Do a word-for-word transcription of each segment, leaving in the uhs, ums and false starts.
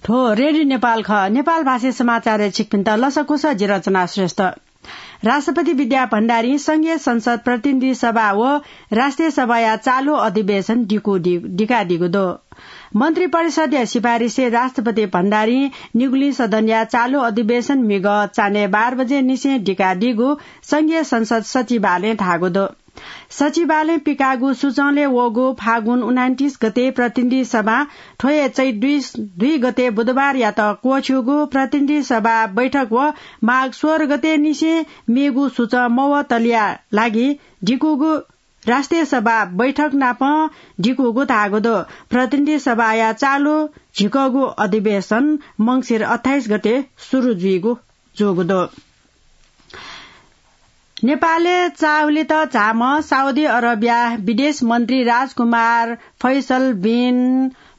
थ्व रेडियो नेपाल खः। नेपाल भाषी समाचारय् छिकपिन्त लसकुस, जि रचना श्रेष्ठ। राष्ट्रपति विद्या भण्डारीं संघीय संसद, प्रतिनिधि सभा व राष्ट्रिय सभाया चालु अधिवेशन दिकु दि-, दिकादीगु दु। मन्त्री परिषदया सिफारिसय् राष्ट्रपति भण्डारीं निगुलिं सदनया चालु अधिवेशन म्हिगः चान्हय् बाह्र बजे निसें दिकादीगु संघीय संसद सचिवालयं धाःगु दु। सचिवालयं पिकाःगु सूचंलय् वःगु फागुन उनान्तिस गते प्रतिनिधि सभां थ्व हे चैत दुई, दुई गते बुधबारयात क्वःछ्यूगु प्रतिनिधि सभा बैठक व माघ सोह्र गते निसें मेगु सूचं मवतलिया लागि दिकूगु राष्ट्रिय सभा बैठक नाप दिकूगु धाःगु दु। प्रतिनिधि सभाया चालु झिकःगु अधिवेशन मंसिर अट्ठाइस गते सुरु जुइगु जूगु दु। नेपालय् चाःहुलित झाःम्ह साउदी अरबया विदेश मन्त्री राजकुमार फैसल बिन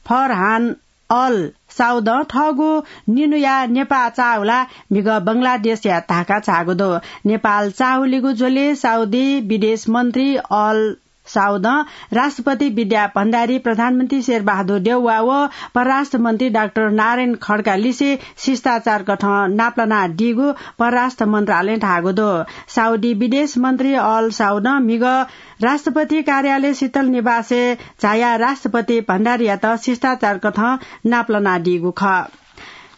फरहान अल साउदं थःगु निन्हुया नेपाः चाःहुला म्हिगः बंगलादेशया ढाका झाःगु दु। नेपाल चाःहुलिगु झ्वलय् साउदी विदेश मन्त्री अल साउदं राष्ट्रपति विद्या भण्डारी, प्रधानमन्त्री शेरबहादुर देउवा व परराष्ट्र मन्त्री डाक्टर नारायण खड्का लिसे शिष्टाचार कथं नापलानादीगु परराष्ट्र मन्त्रालयं धाःगु दु। साउदी विदेश मन्त्री अल साउदं म्हिगः राष्ट्रपति कार्यालय शीतल निवासय् झायाः राष्ट्रपति भण्डारीयात शिष्टाचार कथं नापलानादीगु खः।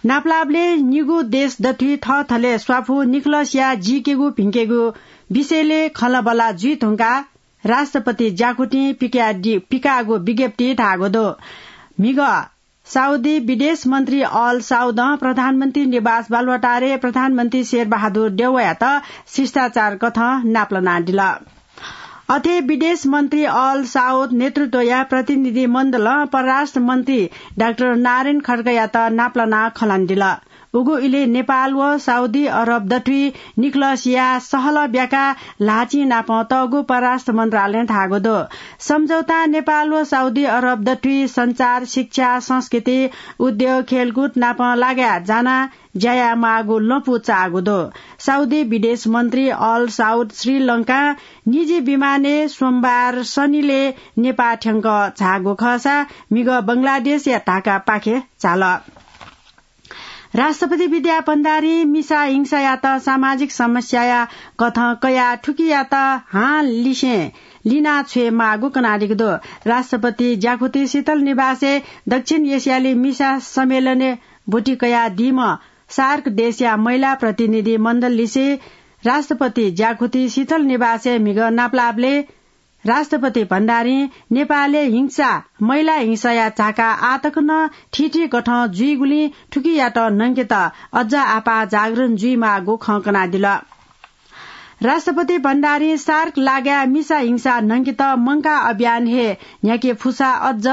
नापलाःबलय् निगू देश दथुइ थःथलय् स्वापू निखलसया जीकेगु भिंकेगु विषयलय् खँल्हाबल्हा जुइ धुंकाः राष्ट्रपति ज्याकुथिं पिकादि-, पिकाःगु विज्ञप्तिइ धाःगु दु। म्हिगः साउदी विदेश मन्त्री अल साउदं प्रधानमन्त्री निवास बालुवाटारय् प्रधानमन्त्री शेरबहादुर देउवायात शिष्टाचार कथं नापलानादिल। अथे विदेश मन्त्री अल साउद नेतृत्वया प्रतिनिधि मण्डलं परराष्ट्र मन्त्री डाक्टर नारायण खड्कायात नापलानाः खँ ल्हानादिल। उगु इलय् नेपाल व साउदी अरब दथुइ निखलसया सहलह ब्याका ल्हाःचिं नाप तःगु परराष्ट्र मन्त्रालयं धाःगु दु। सम्झौतां नेपाल व साउदी अरब दथुइ सञ्चार, शिक्षा, संस्कृति, उद्योग, खेलकुद नाप लागाय् जानाः ज्या यायेमाःगु लँपु चाःगु दु। साउदी विदेश मन्त्री अल साउद श्रीलंकां निजी विमानय् सोमबार सनिलय् नेपाः थ्यंक झाःगु खःसा म्हिगः बंगलादेशया ढाकापाखे झाल। राष्ट्रपति विद्या भण्डारीं मिसा हिंसायात सामाजिक समस्याया कथं कयाः थुकियात हां लिसें लिना छ्वयेमाःगु कनादीगु दु। राष्ट्रपति ज्याकुथि शीतल निवासय् दक्षिण एसियाली मिसा सम्मेलनय् ब्वति कयादीम्ह सार्क देशया महिला प्रतिनिधि मण्डल लिसे राष्ट्रपति ज्याकुथि शीतल निवासय् म्हिगः नापलाःबलय् राष्ट्रपति भण्डारीं नेपालय् हिंसा, महिला हिंसाया झाका आः तक नं थीथी कथं जुइगुलिं थुकियात न्हंकेत अझ आपाः जागरण जुइमाःगु खँ कनादिल। राष्ट्रपति भण्डारीं सार्क लागाय् मिसा हिंसा न्हंकेत मंकाः अभियान हे न्ह्याके फुसा अझ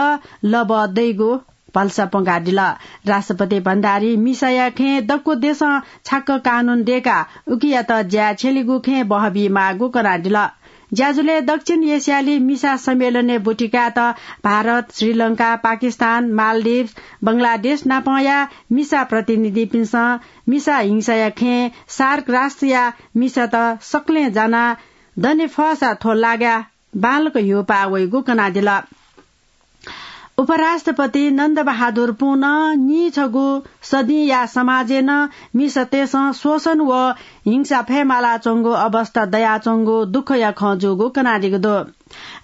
लबः दइगु भलसा प्वंकादिल। राष्ट्रपति भण्डारीं मिसाया खँय् दक्व देशं छाक्क कानून दय्काः उकियात ज्याय् छ्यलेगु खँय् बहबीमाःगु कनादिल। ज्याझ्वलय् दक्षिण एसियाली मिसा सम्मेलनय् ब्वति कायेत भारत, श्रीलंका, पाकिस्तान, मालदिभ्स, बंगलादेश नापंया मिसा प्रतिनिधिपिन्सं मिसा हिंसाया खँय् सार्क राष्ट्रया मिसात सकलें जानाः दने फःसा थ्व लागाय् बांलाक ह्यूपाः वइगु कनादिल। उपराष्ट्रपति नन्दबहादुर पुनं नीछगू सदिंया समाजय् नं मिसातय्सं शोषण व हिंसा फयेमालाच्वंगु अवस्था दयाच्वंगु दुःखया खँ जूगु कनादीगु दु।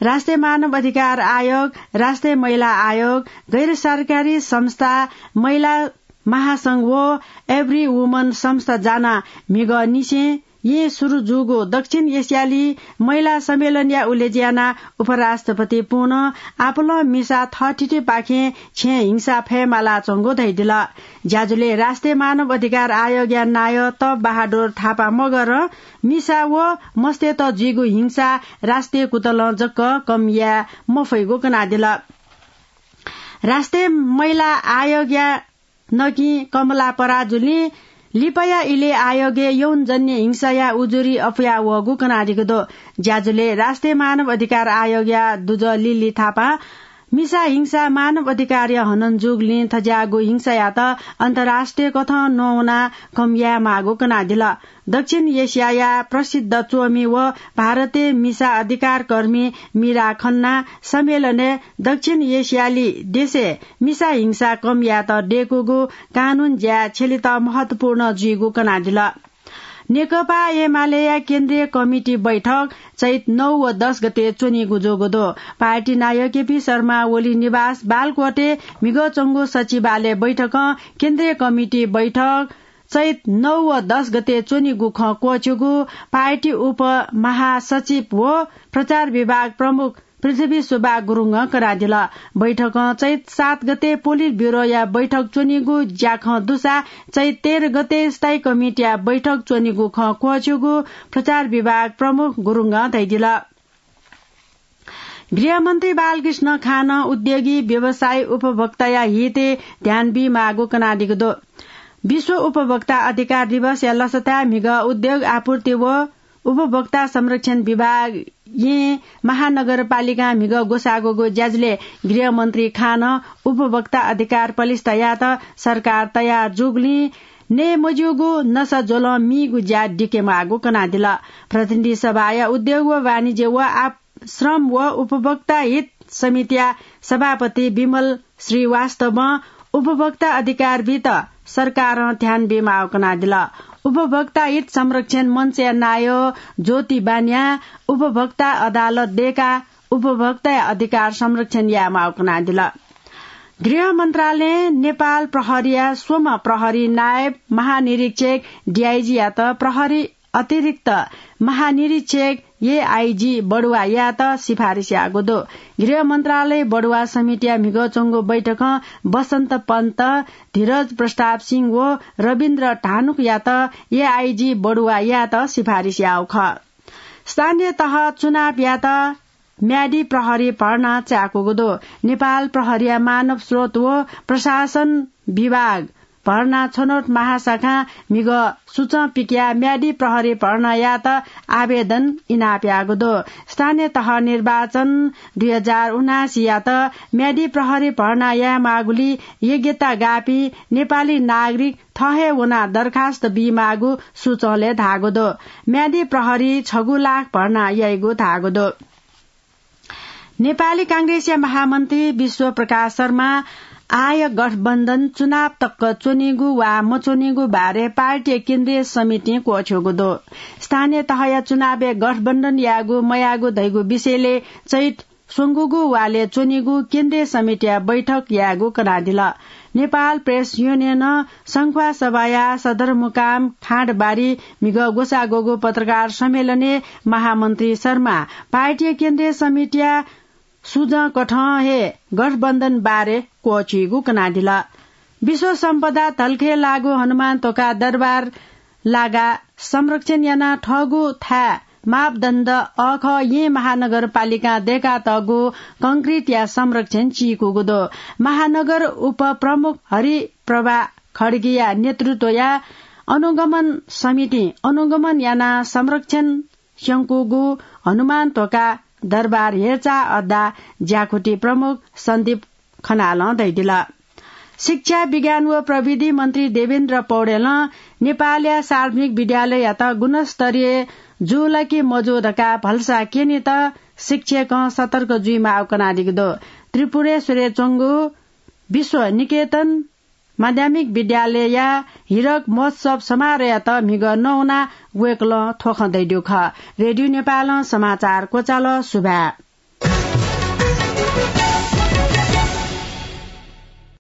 राष्ट्रिय मानव अधिकार आयोग, राष्ट्रिय महिला आयोग, गैर सरकारी संस्था, महिला महासंघ व Every Woman संस्था जानाः म्हिगः निसें येँ सुरु जूगु दक्षिण एसियाली महिला सम्मेलनया उलेज्यू यानाः उपराष्ट्रपति पुनं आपालं मिसा थःथितिपाखें छेँय् हिंसा फयेमालाच्वंगु धयादिल। ज्याझ्वलय् राष्ट्रिय मानव अधिकार आयोगया नायः तप बहादुर थापा मगरं मिसा व मस्तय्त जुइगु हिंसा राष्ट्रिय कुतलं जक कम याये मफइगु कनादिल। राष्ट्रिय महिला आयोगया नकिं कमला पराजुलीं लिपाया इलय् आयोगय् यौनजन्य हिंसाया उजुरी अपुया वःगु कनादीगु दु। ज्याझ्वलय् राष्ट्रिय मानव अधिकार आयोगया दुजः लिली थापां मिसा हिंसा मानव अधिकारया हनन जूगुलिं थज्याःगु हिंसायात अन्तर्राष्ट्रिय कथं नवाना कम यायेमाःगु कनादिल। दक्षिण एसियाया प्रसिद्ध च्वमि व भारतीय मिसा अधिकारकर्मी मीरा खन्ना सम्मेलनय् दक्षिण एसियाली देशय् मिसा हिंसा कम यायेत दय्कूगु कानून ज्या छ्यलेत महत्वपूर्ण जुइगु कनादिल। नेकपा एमालेया केन्द्रीय कमिटी बैठक चैत नौ व दस गते च्वनीगु जूगु दु। पार्टी नायः केपी शर्मा ओली निवास बालकोटय् म्हिगः च्वंगु सचिवालय बैठकं केन्द्रीय कमिटी बैठक चैत नौ व दस गते च्वनीगु खँ क्वःछ्यूगु पार्टी उपमहासचिव व प्रचार विभाग प्रमुख पृथ्वी सुब्बा गुरुङं कनादिल। बैठकं चैत सात गते पोलिट ब्युरोया बैठक च्वनीगु ज्याखँ दुसा चैत तेह्र गते स्थायी कमिटीया बैठक च्वनीगु खँ क्वःछ्यूगु प्रचार विभाग प्रमुख गुरुङं धयादिल। गृहमन्त्री बालकृष्ण खानं उद्योगी, व्यवसायी, उपभोक्ताया हितय् ध्यान बीमाःगु कनादीगु दु। विश्व उपभोक्ता अधिकार दिवसया लसताय् म्हिगः उद्योग, आपूर्ति व उपभोक्ता संरक्षण विभाग येँ महानगरपालिकां म्हिगः ग्वसाःगु ज्याझ्वलय् गृहमन्त्री खानं उपभोक्ता अधिकार पलिस्था यायेत सरकार तयार जूगुलिं नये मज्यूगु नसा ज्वलं मीगु ज्या दिकेमाःगु कनादिल। प्रतिनिधि सभाया उद्योग व वाणिज्य व आप-, श्रम व उपभोक्ता हित समितिया सभापति विमल श्रीवास्तवं उपभोक्ता अधिकार बीत सरकारं ध्यान बीमाःगु कनादिल। उपभोक्ता हित संरक्षण मञ्चया नायः ज्योति बानियां उपभोक्ता अदालत दय्काः उपभोक्ताया अधिकार संरक्षण यायेमाःगु कनादिल। गृह मन्त्रालयं नेपाल प्रहरीया स्वम्ह प्रहरी नायब महानिरीक्षक, डिआइजीयात प्रहरी अतिरिक्त महानिरीक्षक, एआइजी, बढुवा यायेत सिफारिस याःगु दु। गृह मन्त्रालय बढुवा समितिया म्हिगः च्वंगु बैठकं बसन्त पन्त, धीरज प्रताप सिंह व रविन्द्र धानुकयात एआइजी बढुवा यायेत सिफारिस याःगु खः। स्थानीय तह चुनाव यायेत म्यादी प्रहरी भर्ना चाय्कूगु दु। नेपाल प्रहरीया मानव स्रोत व प्रशासन विभाग भर्ना छनौट महाशाखां म्हिगः सुचं पिकयाः म्यादी प्रहरी भर्ना यायेत आवेदन इनाप याःगु दु। स्थानीय तह निर्वाचन दुई हजार उनासीयात म्यादी प्रहरी भर्ना यायेमाःगुलिं योग्यता गाःपिं नेपाली नागरिक थः हे वनाः दरखास्त बीमाःगु सुचंलय् धाःगु दु। म्यादी प्रहरी छगू लाख भर्ना याइगु धाःगु दु। नेपाली कांग्रेसया महामन्त्री विश्व प्रकाश शर्मा आः गठबन्धन चुनाव तक च्वनीगु वा मच्वनीगु बारे पार्टीया केन्द्रीय समितिं क्वःछ्यूगु दु। स्थानीय तहया चुनावय् गठबन्धन यायेगु मयायेगु धइगु विषयलय् चैत स्वंगूगु वालय् च्वनीगु केन्द्रीय समितिया बैठक यायेगु कनादिल। नेपाल प्रेस युनियनं संख्वासभाया सदरमुकाम खाँडबारी म्हिगः ग्वसाः ग्वःगु पत्रकार सम्मेलनय् महामन्त्री शर्मा पार्टीया केन्द्रीय समितिया सुजं कथं हे गठबन्धन बारे क्वःछ्यूगु कनादिल। विश्व सम्पदा धलखय् लाःगु हनुमान ध्वाखा दरबार लागाः संरक्षण यानाः थःगु थाय् मापदण्ड अःखः येँ महानगरपालिकां दय्कातःगु कंक्रिटया संरक्षण चीकूगु दु। महानगर उपप्रमुख हरिप्रभा खड्गीया नेतृत्वया अनुगमन समितिं अनुगमन यानाः संरक्षण स्यंकूगु हनुमान ध्वाखा दरबार हेरचाह अड्डा ज्याकुथि प्रमुख सन्दीप खनालं धयादिल। शिक्षा, विज्ञान व प्रविधि मन्त्री देवेन्द्र पौडेलं नेपालया सार्वजनिक विद्यालययात गुणस्तरीय जू ला कि मजू धकाः भलसा क्यनेत शिक्षकं सतर्क जुइमाःगु कनादीगु दु। त्रिपुरेश्वरय् च्वंगु विश्व निकेतन माध्यमिक विद्यालयया हिरक महोत्सव समारोहयात म्हिगः नवानाः वय्कलं थ्व खँ धयादीगु खः। रेडियो नेपालं समाचार क्वचाल। सुभाय्।